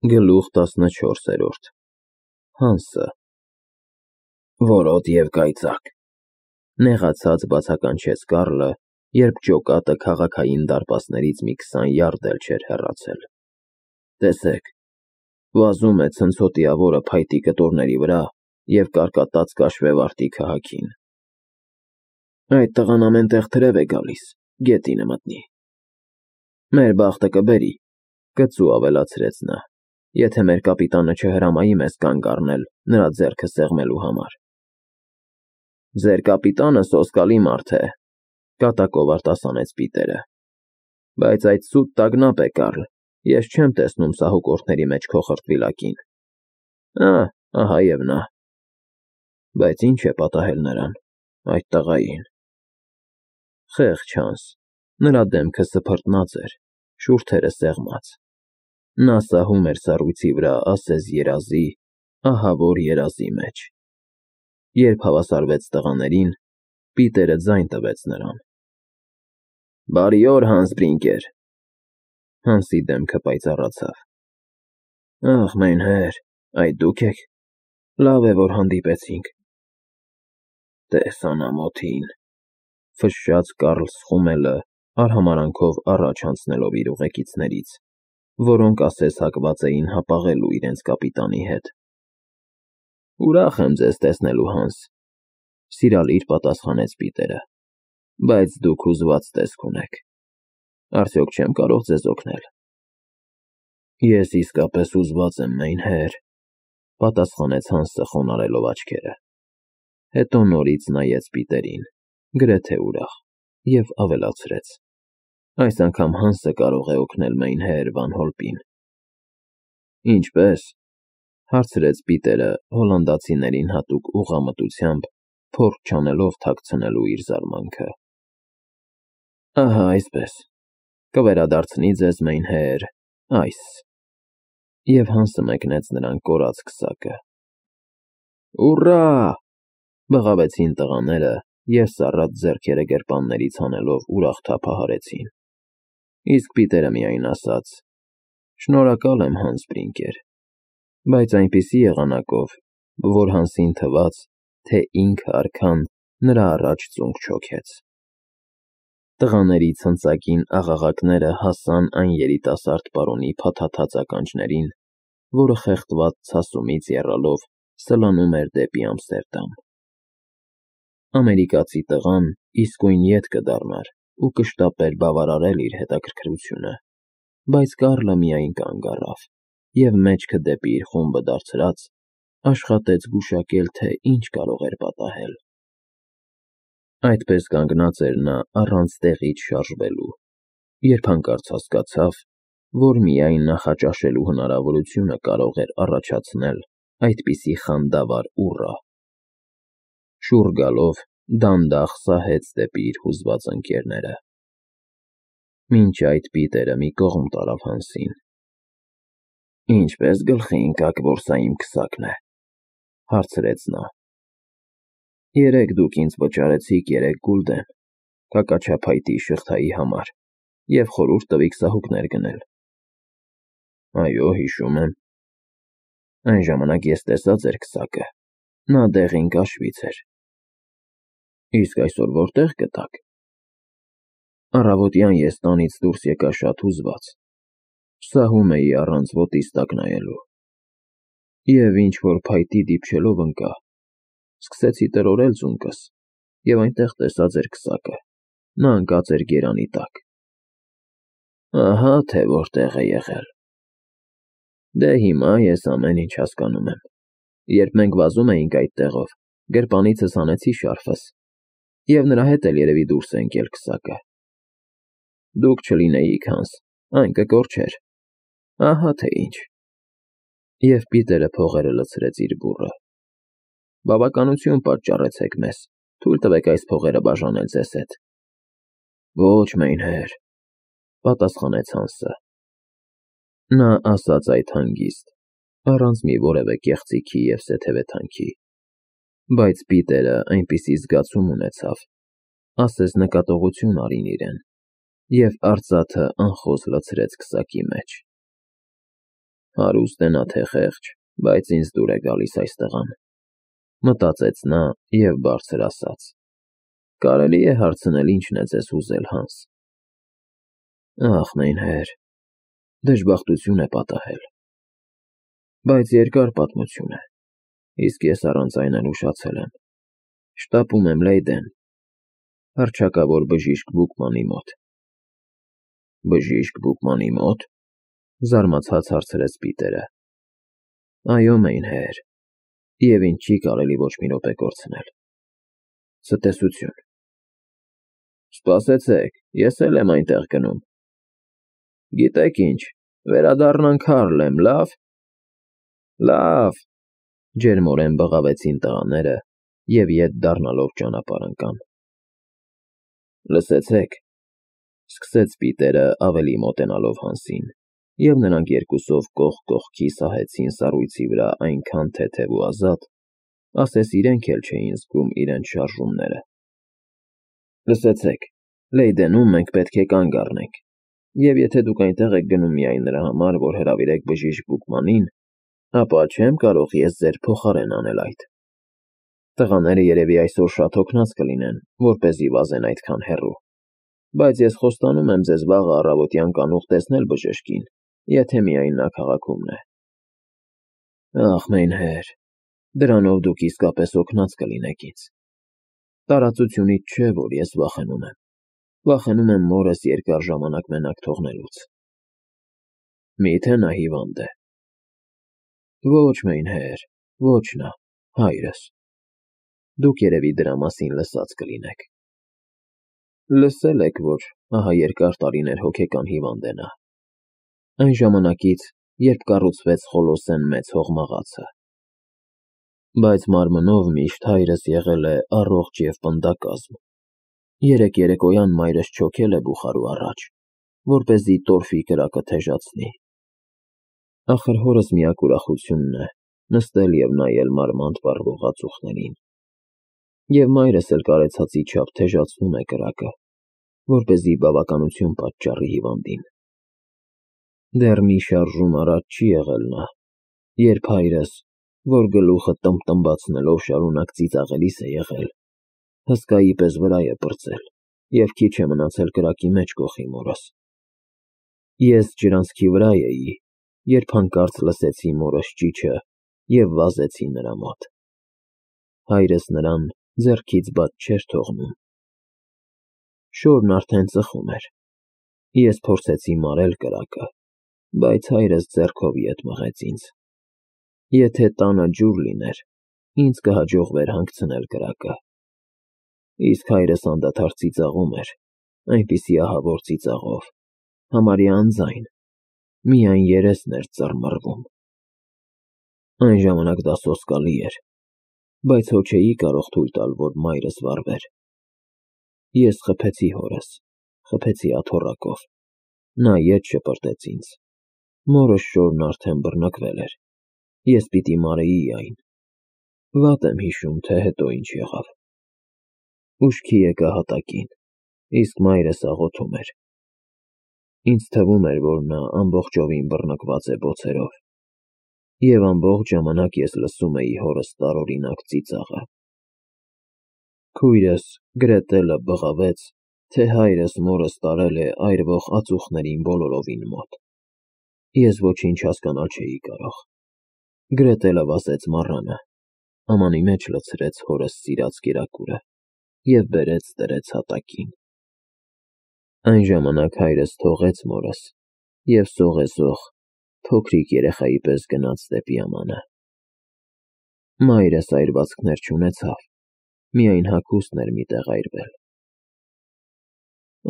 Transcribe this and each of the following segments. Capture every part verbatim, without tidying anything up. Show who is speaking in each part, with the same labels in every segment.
Speaker 1: Գլուխ տասնչորսերորդ Հանսը Որոտ և կայծակ, նեղացած բացականչեց Կարլը, երբ ջոկատը քաղաքային դարպասներից մի քսան յարդ էլ չէր հեռացել։ Տեսեք, վազում է ցնցոտիավորը փայտի կտորների վրա և կարկատած կաշվեվարտի քաղաքին։ Այդ տղան ամեն տեղ թրև է գալիս, գետինը մտնի։ Մեր բախտը կբերի, կծու ավելացրեց նա, եթե մեր կապիտանը չհրամայի մեզ կանգ առնել նրա ձեռքը սեղմելու համար։ Ձեր կապիտանը սոսկալի մարդ է, կատակով արտասանեց Պիտերը, բայց այդ սուտ տագնապ է, Կարլ, ես չեմ տեսնում սահուկորդների մեջ քո խրտվիլակին։ Ահ, ահա և նա։ Բայց ի՞նչ է պատահել նրան, այդ տղային։ Խեղճ Հանս, նրա դեմքը սփռտնած էր, շուրթերը սեղմած։ Նա սահում էր սառույցի վրա ասես երազի, ահավոր երազի մեջ։ Երբ հավասարվեց տղաներին, Պիտերը ձայն տվեց նրան։ Բարի օր, Հանս Բրինկեր։ Հանսի դեմքը պայծառացավ։ Ախ, մայնհեր, այդ դուք եք։ Լավ է, որ հանդիպեցինք։ Տես անամոթին, ֆշշաց Կարլ Սխումելը, արհամարհանքով առաջ անցնելով իր ուղեկիցներից, որոնք ասես հակված էին հապաղելու իրենց կապիտանի հետ։ Ուրախ եմ ձեզ տեսնելու, Հանս, սիրալիր պատասխանեց Պիտերը, բայց դուք հուզված տեսք ունեք։ Արդյոք չեմ կարող ձեզ օգնել։ Ես իսկապես հուզված եմ, մայնհեր, պատասխանեց Հանսը խոնարհելով աչքերը։ Հետո նորից նայեց Պիտերին, գրեթե ուրախ, և ավելացրեց. Այս անգամ Հանսը կարող է օգնել մայնհեր Վան Հոլպին։ Ինչպե՞ս, հարցրեց Պիտերը հոլանդացիներին հատուկ ուղղամտությամբ, փորձ չանելով թաքցնելու իր զարմանքը։ Ահա այսպես, կվերադարձնի ձեզ մայնհեր այս։ Եվ Հանսը մեկնեց նրան կորած քսակը։ Ուռա, բղավեցին տղաները և սառած ձեռքերը գրպաններից հանելով ուրախ թափահարեցին։ Իսկ Պիտերը միայն ասաց. Շնորհակալ եմ, Հանս Բրինկեր, բայց այնպիսի եղանակով, որ Հանսին թվաց, թե ինքը արքան նրա առաջ ծունկ չօգեց։ Տղաների ցնծագին աղաղակները հասան այն երիտասարդ պարոնի փաթաթած ականջներին, որը խեղդված ցասումից եռալով սլանում էր դեպի Ամստերդամ։ Ամերիկացի տղան իսկույն ետ կդառնար ու կշտապեր բավարարել իր հետաքրքրությունը, բայց Կարլը միայն կանգ առավ և մեջքը դեպի իր խումբը դարձրած, աշխատեց գուշակել, թե ինչ կարող էր պատահել։ Այդպես կանգնած էր նա առանց տեղից շարժվելու, երբ հանկարծ հասկացավ, որ միայն նախաճաշելու հնարավորությունը կարող էր առաջացնել այդպիսի խանդավառ ուռա։ Շուռ գալով դանդաղ սահեց դեպի իր հուզված ընկերները։ Մինչ այդ Պիտերը մի կողմ տարավ Հանսին։ Ինչպե՞ս գլխի ընկաք, որ սա իմ քսակն է, հարցրեց նա։ Երեկ դուք ինձ վճարեցիք երեք գուլդեն քաքաչափայտի շղթայի համար և խորհուրդ տվիք սահուկներ գնել։ Այո, հիշում եմ։ Այն ժամանակ ես տեսա ձեր քսակը, նա դեղին կաշվից էր։ Իսկ այսօր որտե՞ղ գտաք։ Առավոտյան ես տանից դուրս եկա շատ հուզված, սահում էի առանց ոտիս տակ նայելու, և ինչ-որ փայտի դիպչելով ընկա, սկսեցի տրորել ձունկս և այնտեղ տեսա ձեր քսակը, նա ընկած էր գերանի տակ։ Ահա թե որտեղ է եղել։ Դե հիմա ես ամեն ինչ հասկանում եմ։ Երբ մենք վազում էինք այդ տեղով, գրպանիցս հանեցի շարֆս, և նրա հետ էլ երևի դուրս է ընկել քսակը։ Դուք չլինեիք, Հանս, այն կկորչեր։ Ահա թե ինչ։ Եվ Պիտերը փողերը լցրեց իր բուռը։ Բավականություն պատճառեցեք մեզ, թույլ տվեք այս փողերը բաժանել ձեզ հետ։ Ոչ, մայնհեր, պատասխանեց Հանսը։ Նա ասաց այդ հանգիստ, առանց մի որևէ կեղծիքի և սեթևեթանքի, բայց Պիտերը այնպիսի զգացում ունեցավ, ասես նկատողություն արին իրեն, և արծաթը անխոզ լցրեց քսակի մեջ։ Հարուստ է նա թե խեղճ, բայց ինձ դուր է գալիս այս տղան, մտածեց նա և բարձր ասաց. Կարելի է հարցնել ինչն է ձեզ հուզել, Հանս։ Ախ, մայնհեր, դժբախտություն է պատահել, բայց երկար պատմություն է, իսկ ես առանց այն էլ ուշացել եմ, շտապում եմ Լեյդեն, հռչակավոր բժիշկ Բուկմանի մոտ։ Բժիշկ Բուկմանի մոտ, զարմացած հարցրեց Պիտերը։ Այո, մայնհեր, և ինձ չի կարելի ոչ մի րոպե կորցնել։ Ցտեսություն։ Սպասեցեք, ես էլ եմ այնտեղ գնում։ Գիտեք ինչ, վերադառնանք Հարլեմ, լավ։ Լավ, ջերմորեն բղավեցին տղաները և ետ դառնալով ճանապարհ ընկան։ Լսեցեք, սկսեց Պիտերը ավելի մոտենալով Հանսին, և նրանք երկուսով կողք կողքի սահեցին սառույցի վրա այնքան թեթև ու ազատ, ասես իրենք էլ չէին զգում իրենց շարժումները։ Լսեցեք, Լեյդենում մենք պետք է կանգ առնենք, և եթե դուք այնտեղ եք գնում միայն նրա համար, որ հրավիրեք բժիշկ Բուկմանին, ապա չեմ կարող ես ձեր փոխարեն անել այդ։ Տղաները երևի այսօր շատ հոգնած կլինեն, որպեսզի վազեն այդքան հեռու, բայց ես խոստանում եմ ձեզ վաղը առավոտյան կանուխ տեսնել բժշկին, եթե միայն նա քաղաքում է։ Ախ, մայնհեր, դրանով դուք իսկապես հոգնած կլինեք ինձ։ Տարածությունից չէ, որ ես վախենում եմ, վախենում եմ մորս երկար ժամանակ մենակ թողնելուց։ Մի՞թե նա հիվանդ է։ Ոչ, մայնհեր, ոչ նա, հայրս։ Դուք երևի դրա մասին լսած կլինեք։ Լսել եք, որ ահա երկար տարիներ հոգեկան հիվանդ է նա։ Այն ժամանակից, երբ կառուցվեց Խոլոսեն մեծ հողմաղացը։ Բայց մարմնով միշտ հայրս եղել է առողջ և պնդակազմ։ Երեկ երեկոյան մայրս չոքել է բուխարու առաջ, որպեսզի տորֆի կրակը թեժացնի։ Ախր հորս միակ ուրախությունն է նստել և նայել մարմանդ վառվող ածուխներին։ Եվ մայրս էլ կարեցածի չափ թեժացնում է կրակը, որպեսզի բավականություն պատճառի հիվանդին։ Դեռ մի շարժում առաջ չի եղել նա, երբ հայրս, որ գլուխը տմբտմբացնելով շարունակ ծիծաղելիս է եղել, հսկայի պես վրա է պրծել և քիչ է մնացել կրակի մեջ կոխի մորս։ Ես ջրանցքի վրա էի, երբ հանկարծ լսեցի մորս ճիչը և վազեցի նրա մոտ։ Հայրս նրան ձեռքից բաց չէր թողնում։ Շորն արդեն ծխում էր։ Ես փորձեցի մարել կրակը, բայց հայրս ձեռքով ետ մղեց ինձ։ Եթե տանը ջուր լիներ, ինձ կհաջողվեր հանգցնել կրակը։ Իսկ հայրս անդադար ծիծաղում էր, այնպիսի ահավոր ծիծաղով, համարյա անձայն, միայն երեսն էր ծռմռվում։ Այն ժամանակ դա սոսկալի էր, բայց հո չէի կարող թույլ տալ, որ մայրս վառվեր։ Ես խփեցի հորս, խփեցի աթոռակով, նա ետ շպրտեց ինձ։ Մորս շորն արդեն բռնկվել էր, ես պիտի մարեի այն։ Վատ եմ հիշում, թե հետո ինչ եղավ։ Ուշքի եկա հատակին, իսկ մայրս աղոթում էր։ Ինձ թվում էր, որ նա ամբողջովին բռնկված է բոցերով, և ամբողջ ժամանակ ես լսում էի հորս տարօրինակ ծիծաղը։ Քույրս Գրետելը բղավեց, թե հայրս մորս տարել է այրվող ածուխներին բոլորովին մոտ։ Ես ոչինչ հասկանալ չէի կարող։ Գրետելը վազեց մառանը, ամանի մեջ լցրեց հորս սիրած կերակուրը և բերեց դրեց հատակին։ Այն ժամանակ հայրս թողեց մորս և սողեսող, փոքրիկ երեխայի պես գնաց դեպի ամանը։ Մայրս այրվածքներ չունեցավ, միայն հագուստն էր մի տեղ այրվել։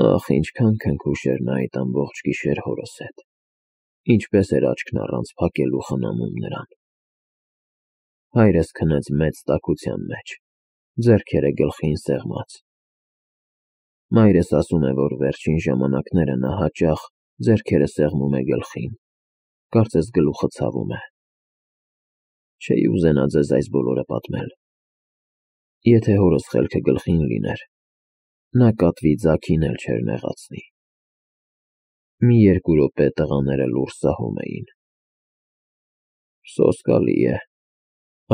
Speaker 1: Ախ, ինչքան քնքուշ էր նա այդ ամբողջ գիշեր հորս հետ, ինչպես էր աչքն առանց փակելու խնամում նրան։ Հայրս քնեց մեծ տաքության մեջ, ձեռքերը գլխին սեղմած։ Մայրս ասում է, որ վերջին ժամանակները նա հաճախ ձեռքերը սեղմում է գլխին, կարծես գլուխը ցավում է։ Չէի ուզենա ձեզ այս բոլորը պատմել։ Եթե հորս խելքը գլխին լիներ, նա կատվի ձագին էլ չէր նեղացնի։ Մի երկու րոպե տղաները լուռ սահում էին։ Սոսկալի է,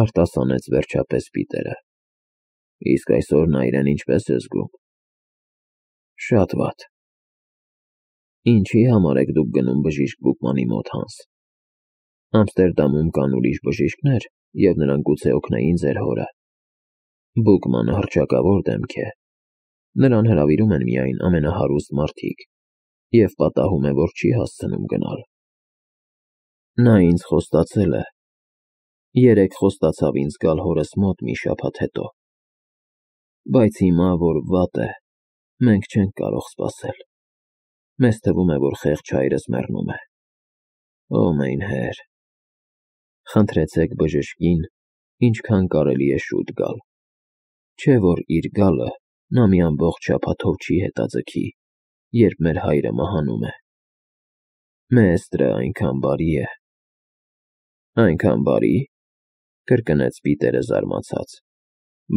Speaker 1: արտասանեց վերջապես Պիտերը։ Իսկ այսօր նա իրեն ինչպես է զգում։ Շատ վատ։ Ինչի համար եք դուք գնում բժիշկ Բուկմանի մոտ, Հանս։ Ամստերդամում կան ուրիշ բժիշկներ, և նրանք գուցե օգնեին ձեր հորը։ Բուկմանը հռչակավոր դեմք է։ Նրան հրավիրում են միայն ամենահարուստ մարդիկ, և պատահում է, որ չի հասցնում գնալ։ Նա ինձ խոստացել է։ Երեկ խոստացավ ինձ գալ հորս մոտ մի շաբաթ հետո։ Բայց հիմա, որ վատ է, մենք չենք կարող սպասել։ Մեզ թվում է, որ խեղճ հայրս մեռնում է։ Օ, մայնհեր, խնդրեցեք բժշկին, ինչքան կարելի է շուտ գալ։ Չէ՞ որ իր գալը նա մի ամբողջ շաբաթով չի հետաձգի, երբ մեր հայրը մահանում է։ Մեստրը այնքան բարի է։ Այնքան բարի՞, կրկնեց Պիտերը զարմացած,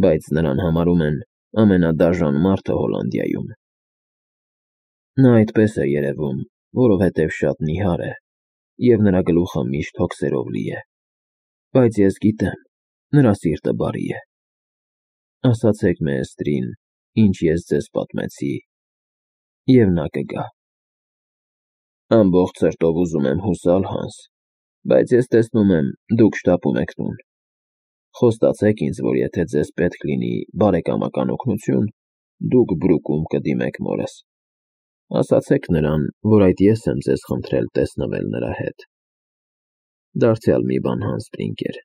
Speaker 1: բայց նրան համարում են ամենադաժան մարդը Հոլանդիայում։ Նա այդպես է երևում, որովհետև շատ նիհար է, և նրա գլուխը միշտ հոգսերով լի է, բայց ես գիտեմ, նրա սիրտը բարի է։ Ասացեք մեստրին, ինչ ես ձեզ պատմեցի, և նա կգա։ Ամբողջ սրտով ուզում եմ հուսալ, Հանս, բայց ես տեսնում եմ, դուք շտապում եք տուն։ Խոստացեք ինձ, որ եթե ձեզ պետք լինի բարեկամական օգնություն, դուք Բրուկում կդիմեք մորս։ Ասացեք նրան, որ այդ ես եմ ձեզ խնդրել տեսնվել նրա հետ։ Դարձյալ մի բան, Հանս Սպրինգեր,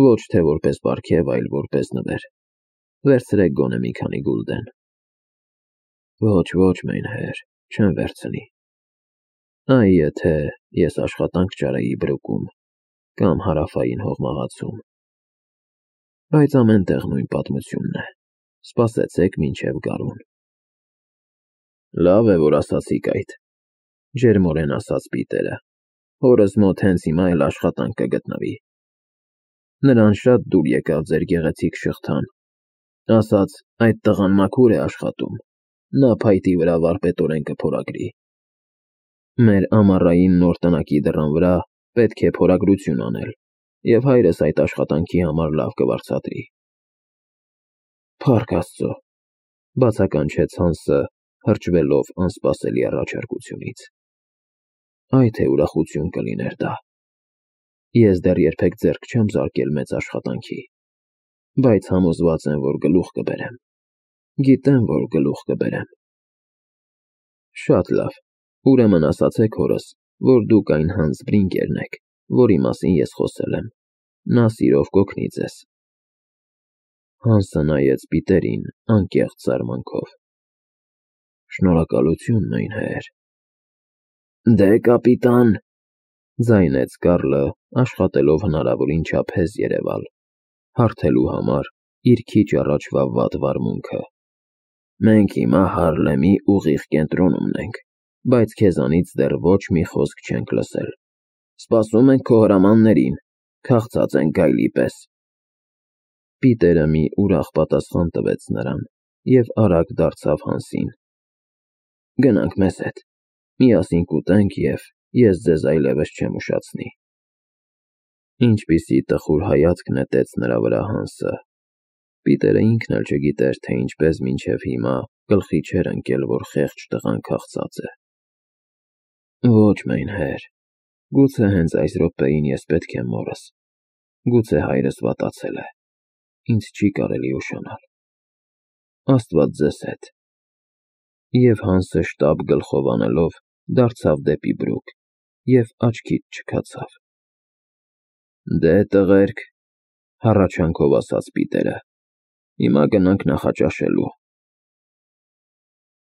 Speaker 1: ոչ թե որպես պարգև, այլ որպես նվեր։ Վերցրեք գոնե մի քանի գուլդեն։ Ոչ, ոչ, մայնհեր, չեմ վերցնի։ Այ եթե ես աշխատանք չարեի Բրուկում կամ Հարավային հողմաղացում։ Բայց ամեն տեղ նույն պատմությունն է։ Սպասեցեք մինչև գարուն։ Լավ է, որ ասացիք այդ, ջերմորեն ասաց Պիտերը։ Հորս մոտ հենց հիմա էլ աշխատանք կգտնվի։ Նրան շատ դուր եկավ ձեր գեղեցիկ շղթան։ Ասաց, այդ տղան մաքուր է աշխատում, նա փայտի վրա վարպետորեն կփորագրի։ Մեր ամառային նոր տնակի դռան վրա պետք է փորագրություն անել, և հայրս այդ աշխատանքի համար լավ կվարձատրի։ Փառք Աստծո, բացականչեց Հանսը, հրճվելով անսպասելի առաջարկությունից։ Այ թե ուրախություն կլիներ դա։ Ես դեռ երբեք ձեռք չեմ զարկել մեծ աշխատանքի, բայց համոզված եմ, որ գլուխ կբերեմ։ Գիտեմ, որ գլուխ կբերեմ։ Շատ լավ, ուրեմն ասացեք հորս, որ դուք այն Հանս Սպրինգերն եք, որի մասին ես խոսել եմ։ Նա սիրով կօգնի ձեզ։ Հանսը նայեց Պիտերին անկեղծ զարմանքով։ Շնորհակալություն, մայնհեր։ Դե, կապիտան, ձայնեց Կարլը, աշխատելով հնարավորին չափ հեզ երևալ, հարթելու համար իր քիչ առաջվա վատ վարմունքը։ Մենք հիմա Հարլեմի ուղիղ կենտրոնումն ենք, բայց քեզանից դեռ ոչ մի խոսք չենք լսել։ Սպասում ենք քո հրամաններին, քաղցած ենք գայլի պես։ Պիտերը մի ուրախ պատասխան տվեց նրան և արագ դարձավ Հանսին։ Գնանք մեզ հետ, միասին կուտենք և ես ձեզ այլևս չեմ ուշացնի։ Ինչպիսի տխուր հայացք նետեց նրա վրա Հանսը։ Պիտերը ինքն էլ չգիտեր, թե ինչպես մինչև հիմա գլխի չէր ընկել, որ խեղճ տղան քաղցած է։ Ոչ, մայնհեր, գուցե հենց այս րոպեին ես պետք է մորս։ Գուցե հայրս վատացել է։ Ինձ չի կարելի ուշանալ։ Աստված ձեզ հետ։ Եվ Հանսը շտապ գլխով անելով դարձավ դեպի Բրուկ և աչքից չքացավ։ Դե, տղերք, հառաչանքով ասաց Պիտերը, հիմա գնանք նախաճաշելու։